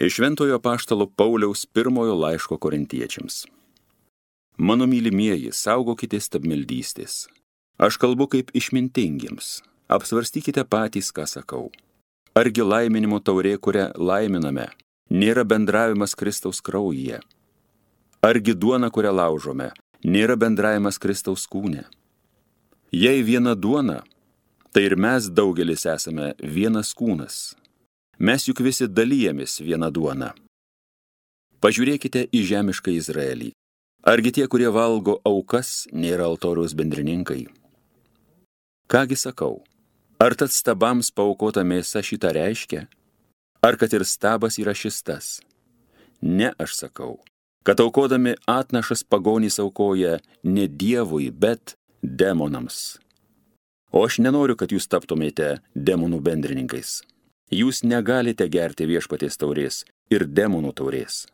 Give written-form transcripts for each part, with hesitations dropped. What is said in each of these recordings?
Iš Šventojo apaštalo Pauliaus pirmojo laiško Korintiečiams. Mano mylimieji, saugokitės stabmeldystės. Aš kalbu kaip išmintingiems. Apsvarstykite patys, ką sakau. Argi laiminimo taurė, kurią laiminame, nėra bendravimas Kristaus kraujyje? Argi duona, kurią laužome, nėra bendravimas Kristaus kūne? Jei viena duona, tai ir mes daugelis esame vienas kūnas. Mes juk visi dalyjamės vieną duoną. Pažiūrėkite į žemišką Izraelį. Argi tie, kurie valgo aukas, nėra altoriaus bendrininkai? Kągi sakau, ar tad stabams paaukota mėsa šitą reiškia? Ar kad ir stabas yra šis tas? Ne, aš sakau, kad aukodami atnašas pagonys aukoja ne Dievui, bet demonams. O aš nenoriu, kad jūs taptumėte demonų bendrininkais. Jūs negalite gerti viešpaties taurės ir demonų taurės.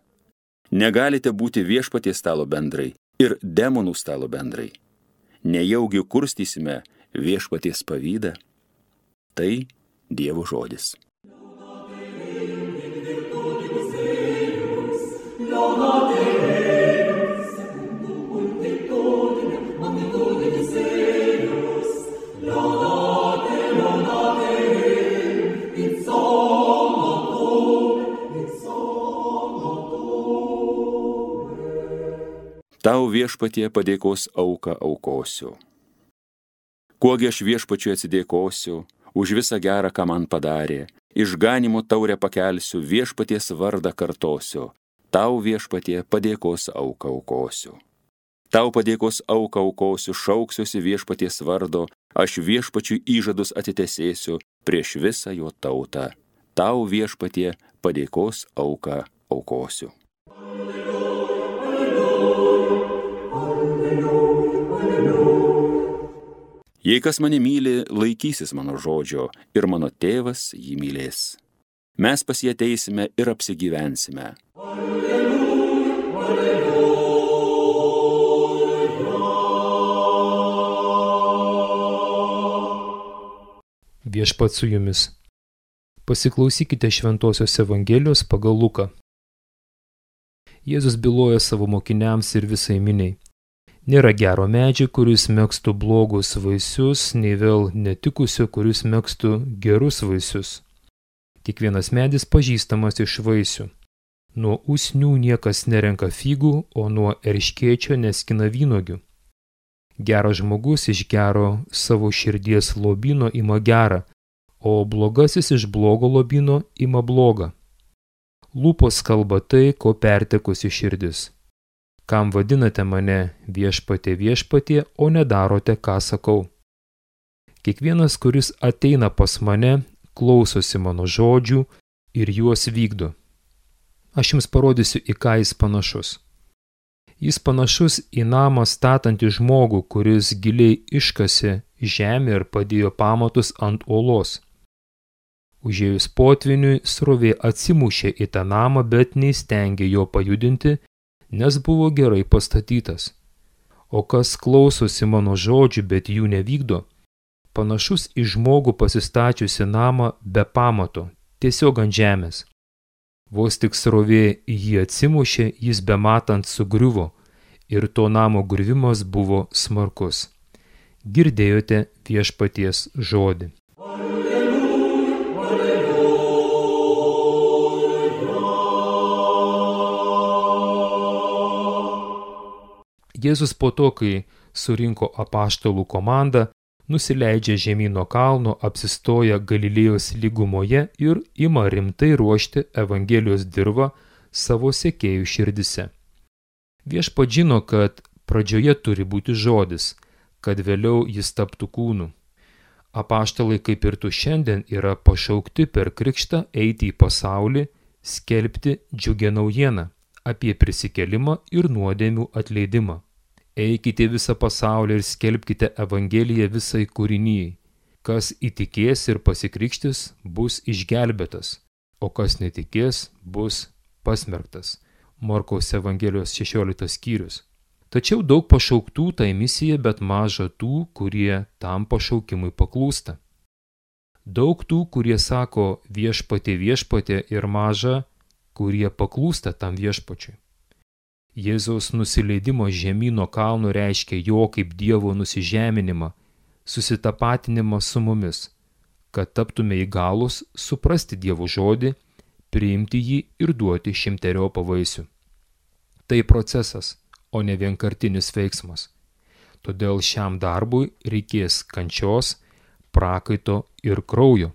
Negalite būti viešpaties stalo bendrai ir demonų stalo bendrai. Nejaugi kurstysime viešpaties pavydą? Tai Dievo žodis. Tau viešpatie padėkos auką aukosiu. Kuogi aš viešpačiui atsidėkosiu už visą gerą, ką man padarė, išganimo taurę pakelsiu, viešpaties vardą kartosiu. Tau viešpatie padėkos auką aukosiu. Tau padėkos auką aukosiu, šauksiuosi viešpaties vardo, aš viešpačiui įžadus atitesėsiu prieš visą jo tautą. Tau viešpatie padėkos auką aukosiu. Jei kas mane myli, laikysis mano žodžio, ir mano tėvas jį mylės. Mes pas jį ateisime ir apsigyvensime. Viešpats su jumis. Pasiklausykite Šventosios Evangelijos pagal Luką. Jėzus byloja savo mokiniams ir visai miniai. Nėra gero medžio, kuris megztų blogus vaisius, nei vėl netikusio, kuris megztų gerus vaisius. Kiekvienas medis pažįstamas iš vaisių. Nuo usnių niekas nerenka figų, o nuo erškėčio neskina vynuogių. Geras žmogus iš gero savo širdies lobyno ima gerą, o blogasis iš blogo lobyno ima blogą. Lūpos kalba tai, ko pertekusi širdis. Kam vadinate mane viešpatie viešpatie, o nedarote, ką sakau? Kiekvienas, kuris ateina pas mane, klausosi mano žodžių ir juos vykdo. Aš jums parodysiu, į ką jis panašus. Jis panašus į namą statantį žmogų, kuris giliai iškasė žemę ir padėjo pamatus ant uolos. Užėjus potviniui, srovė atsimušė į tą namą, bet neįstengė jo pajudinti, nes buvo gerai pastatytas. O kas klausosi mano žodžių, bet jų nevykdo, panašus į žmogų pasistačiusi namą be pamato, tiesiog ant žemės. Vos tik srovė jį atsimušė, jis bematant sugriuvo, ir to namo griuvimas buvo smarkus. Girdėjote viešpaties žodį. Jėzus po to, kai surinko apaštalų komandą, nusileidžia žemyn nuo kalno, apsistoja Galilėjos lygumoje ir ima rimtai ruošti Evangelijos dirvą savo sekėjų širdise. Viešpats žino, kad pradžioje turi būti žodis, kad vėliau jis taptų kūnu. Apaštalai, kaip ir tu šiandien, yra pašaukti per krikštą eiti į pasaulį, skelbti džiugią naujieną apie prisikėlimą ir nuodėmių atleidimą. Eikite visą pasaulį ir skelbkite Evangeliją visai kūrinijai. Kas įtikės ir pasikrikštys, bus išgelbėtas, o kas netikės, bus pasmerktas. Morkaus Evangelijos 16 skyrius. Tačiau daug pašauktų tai misija, bet maža tų, kurie tam pašaukimui paklūsta. Daug tų, kurie sako viešpatie viešpatie ir maža, kurie paklūsta tam viešpačiui. Jėzaus nusileidimo žemyno kalnų reiškia jo kaip Dievo nusižeminimą, susitapatinimą su mumis, kad taptume įgalūs suprasti Dievo žodį, priimti jį ir duoti 100 vaisių. Tai procesas, o ne vienkartinis veiksmas. Todėl šiam darbui reikės kančios, prakaito ir kraujo.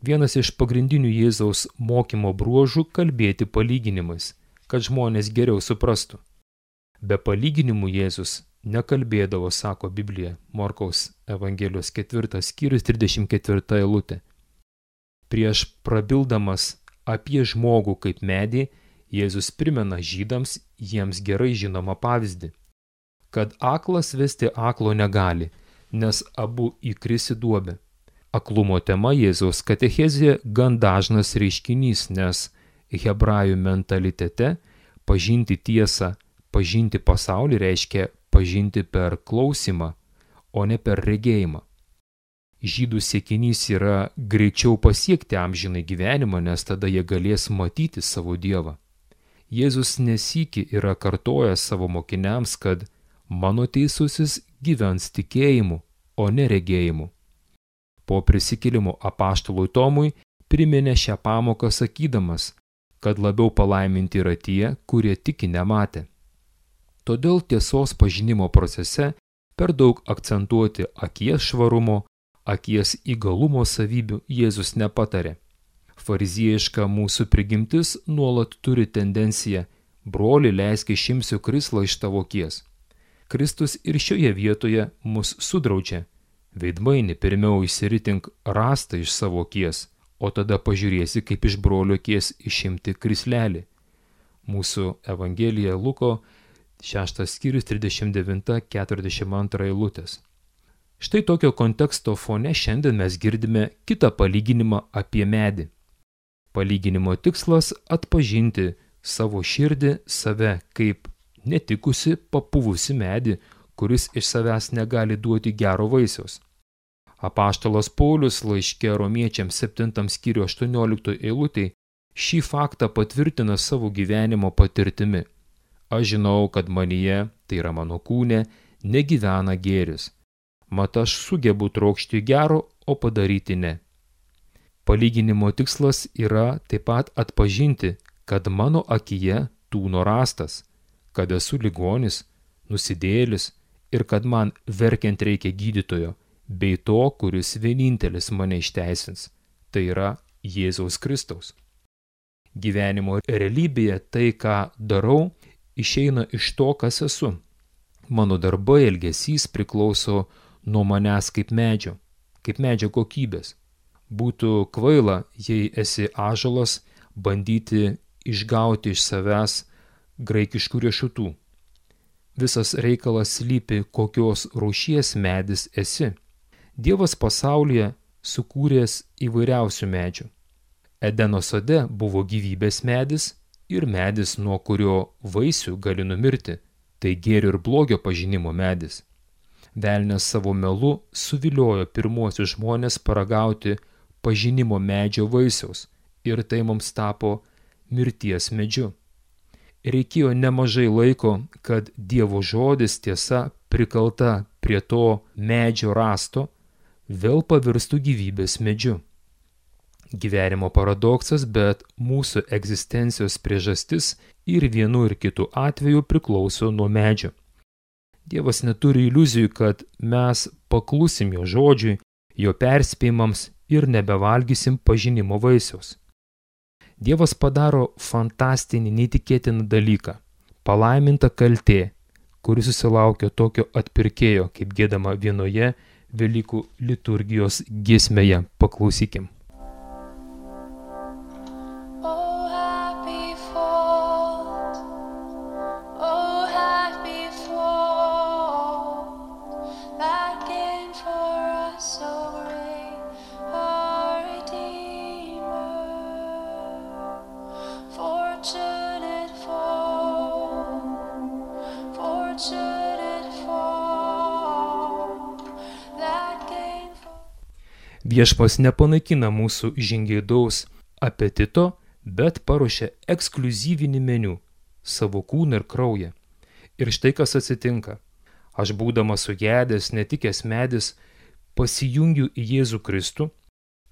Vienas iš pagrindinių Jėzaus mokymo bruožų – kalbėti palyginimais, kad žmonės geriau suprastų. Be palyginimų Jėzus nekalbėdavo, sako Biblija, Morkaus Evangelijos 4 skyrius 34 eilutė. Prieš prabildamas apie žmogų kaip medį, Jėzus primena žydams jiems gerai žinomą pavyzdį, kad aklas vesti aklo negali, nes abu įkris į duobę. Aklumo tema Jėzaus katechezėje gan dažnas reiškinys, nes hebrajų mentalitete pažinti tiesą, pažinti pasaulį reiškia pažinti per klausimą, o ne per regėjimą. Žydų siekinys yra greičiau pasiekti amžinai gyvenimą, nes tada jie galės matyti savo Dievą. Jėzus nesykį yra kartojęs savo mokiniams, kad mano teisusis gyvens tikėjimu, o ne regėjimu. Po prisikėlimo apaštalui Tomui priminė šią pamoką sakydamas, kad labiau palaiminti yra tie, kurie tiki nematę. Todėl tiesos pažinimo procese per daug akcentuoti akies švarumo, akies įgalumo savybių Jėzus nepatarė. Fariziejiška mūsų prigimtis nuolat turi tendenciją: broli, leisk išimsiu krislą iš tavo akies. Kristus ir šioje vietoje mus sudraudžia: veidmaini, pirmiau išsiritink rastą iš savo akies, o tada pažiūrėsi, kaip iš brolio akies išimti krislelį. Mūsų Evangelija Luko 6 skyrius 39-42 eilutės. Štai tokio konteksto fone šiandien mes girdime kitą palyginimą apie medį. Palyginimo tikslas – atpažinti savo širdį, save kaip netikusi, papuvusi medį, kuris iš savęs negali duoti gero vaisiaus. Apaštalas Paulius laiške Romiečiams 7 skyrių 18 eilutėj šį faktą patvirtina savo gyvenimo patirtimi. Aš žinau, kad manyje, tai yra mano kūne, negyvena gėris. Mat aš sugebu trokšti gero, o padaryti ne. Palyginimo tikslas yra taip pat atpažinti, kad mano akyje tūno rastas, kad esu ligonis, nusidėjėlis ir kad man verkiant reikia gydytojo, bei to, kuris vienintelis mane išteisins, tai yra Jėzaus Kristaus. Gyvenimo realybėje tai, ką darau, išeina iš to, kas esu. Mano darbai, elgesys priklauso nuo manęs kaip medžio kokybės. Būtų kvaila, jei esi ąžuolas, bandyti išgauti iš savęs graikiškų riešutų. Visas reikalas slypi, kokios rūšies medis esi. Dievas pasaulyje sukūręs įvairiausių medžių. Edeno sode buvo gyvybės medis ir medis, nuo kurio vaisių gali numirti, tai gėrio ir blogio pažinimo medis. Velnias savo melu suviliojo pirmuosius žmonės paragauti pažinimo medžio vaisiaus ir tai mums tapo mirties medžiu. Reikėjo nemažai laiko, kad Dievo žodis tiesa prikalta prie to medžio rasto vėl pavirstų gyvybės medžiu. Gyvenimo paradoksas, bet mūsų egzistencijos priežastis ir vienu ir kitu atveju priklauso nuo medžio. Dievas neturi iliuzijų, kad mes paklusim jo žodžiui, jo perspėjimams ir nebevalgysim pažinimo vaisiaus. Dievas padaro fantastinį, neįtikėtiną dalyką – palaiminta kaltė, kuri susilaukia tokio atpirkėjo, kaip giedama vienoje Velykų liturgijos giesmėje. Paklausykim. Viešpats nepanaikina mūsų žingeidaus apetito, bet paruošia ekskliuzyvinį meniu – savo kūną ir kraują. Ir štai kas atsitinka. Aš būdamas sugedęs, netikęs medis, pasijungiu į Jėzų Kristų,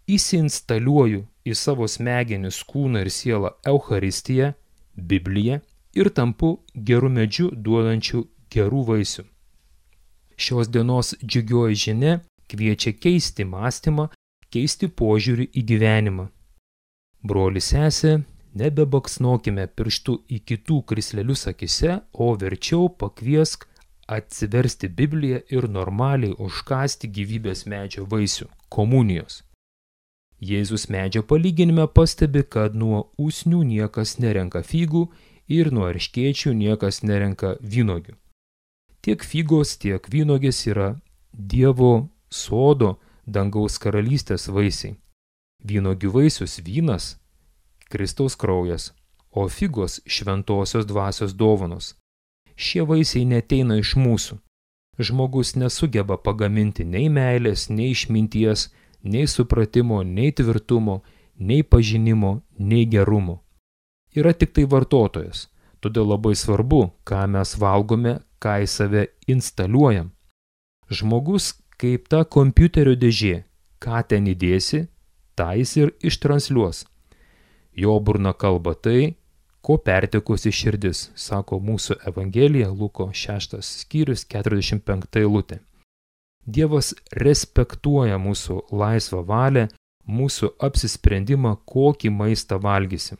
įsiinstaliuoju į savo smegenis, kūną ir sielą Eucharistiją, Bibliją ir tampu geru medžiu duodančiu gerų vaisių. Šios dienos džiugioji žinia kviečia keisti mąstymą, keisti požiūrį į gyvenimą. Broli sesė, nebebaksnokime pirštu į kitų krislelius akise, o verčiau pakviesk atsiversti Bibliją ir normaliai užkąsti gyvybės medžio vaisių – komunijos. Jėzus medžio palyginime pastebi, kad nuo usnių niekas nerenka figų ir nuo erškėčių niekas nerenka vynuogių. Tiek figos, tiek vynogės yra Dievo sodo, dangaus karalystės vaisiai. Vynuogių vaisius vynas, Kristaus kraujas, o figos šventosios dvasios dovanos. Šie vaisiai neteina iš mūsų. Žmogus nesugeba pagaminti nei meilės, nei išminties, nei supratimo, nei tvirtumo, nei pažinimo, nei gerumo. Yra tik tai vartotojas, todėl labai svarbu, ką mes valgome, ką į save instaliuojam. Žmogus kaip ta kompiuterio dėžė, ką ten įdėsi, tą jis ir ištransliuos. Jo burna kalba tai, ko pertekusi širdis, sako mūsų Evangelija, Luko 6 skyrius 45 eilutė. Dievas respektuoja mūsų laisvą valią, mūsų apsisprendimą, kokį maistą valgysim.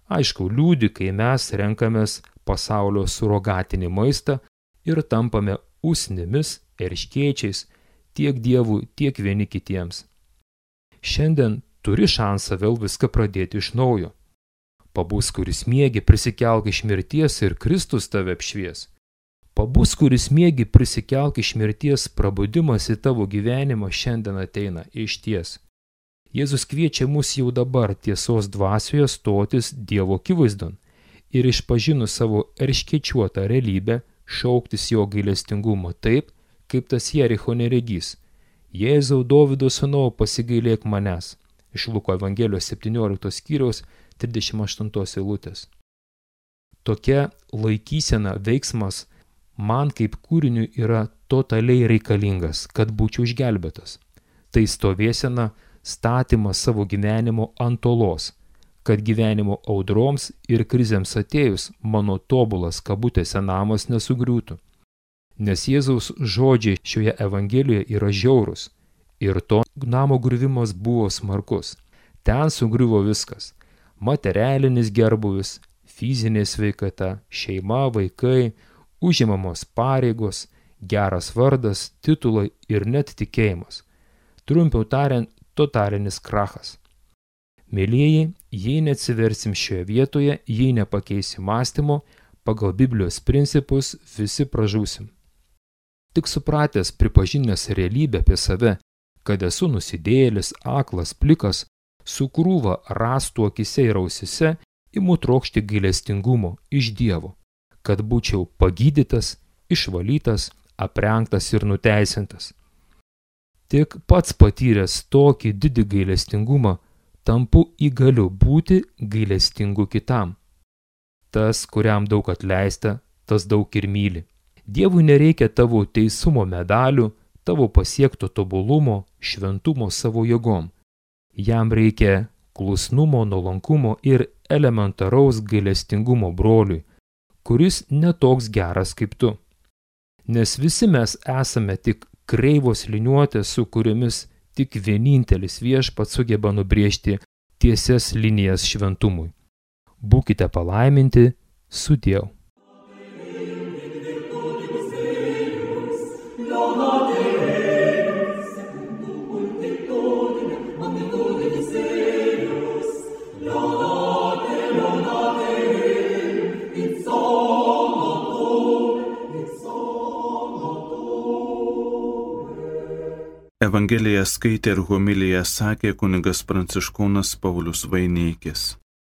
Aišku, liūdi, kai mes renkamės pasaulio surogatinį maistą ir tampame usnimis, erškėčiais, tiek Dievui, tiek vieni kitiems. Šiandien turi šansą vėl viską pradėti iš naujo. Pabus, kuris miegi, prisikelk iš mirties ir Kristus tave apšvies. Pabus, kuris miegi, prisikelk iš mirties, prabudimas į tavo gyvenimą šiandien ateina išties. Jėzus kviečia mus jau dabar tiesos dvasioje stotis Dievo akivaizdon ir išpažinus savo erškėčiuotą realybę šauktis jo gailestingumo taip, kaip tas Jericho neregys. Jėzau, Dovydo sūnau, pasigailėk manęs. Iš Luko Evangelijos 17 skyriaus 38 eilutės. Tokia laikysena, veiksmas man kaip kūriniui yra totaliai reikalingas, kad būčiau išgelbėtas. Tai stovėsena, statymas savo gyvenimo ant olos, kad gyvenimo audroms ir krizėms atėjus mano tobulas kabutėse namas nesugriūtų. Nes Jėzaus žodžiai šioje Evangelijoje yra žiaurus ir to namo griuvimas buvo smarkus. Ten sugriuvo viskas. Materialinis gerbuvis, fizinė sveikata, šeima, vaikai, užimamos pareigos, geras vardas, titulai ir net tikėjimas. Trumpiau tariant, totalinis krachas. Mėlieji, jei neatsiversim šioje vietoje, jei nepakeisim mąstymo, pagal Biblijos principus visi pražūsim. Tik supratęs, pripažinęs realybę apie save, kad esu nusidėjėlis, aklas, plikas, su krūva rąstų akise ir ausise, imu trokšti gailestingumo iš Dievo, kad būčiau pagydytas, išvalytas, aprengtas ir nuteisintas. Tik pats patyręs tokį didį gailestingumą, tampu įgaliu būti gailestingu kitam. Tas, kuriam daug atleista, tas daug ir myli. Dievui nereikia tavo teisumo medalių, tavo pasiekto tobulumo, šventumo savo jėgom. Jam reikia klusnumo, nuolankumo ir elementaraus gailestingumo broliui, kuris netoks geras kaip tu. Nes visi mes esame tik kreivos liniuotės, su kuriomis tik vienintelis Viešpats sugeba nubrėžti tiesias linijas šventumui. Būkite palaiminti, sudiev. Evangeliją skaitė ir homiliją sakė kunigas Pranciškonas Paulius Vaineikis.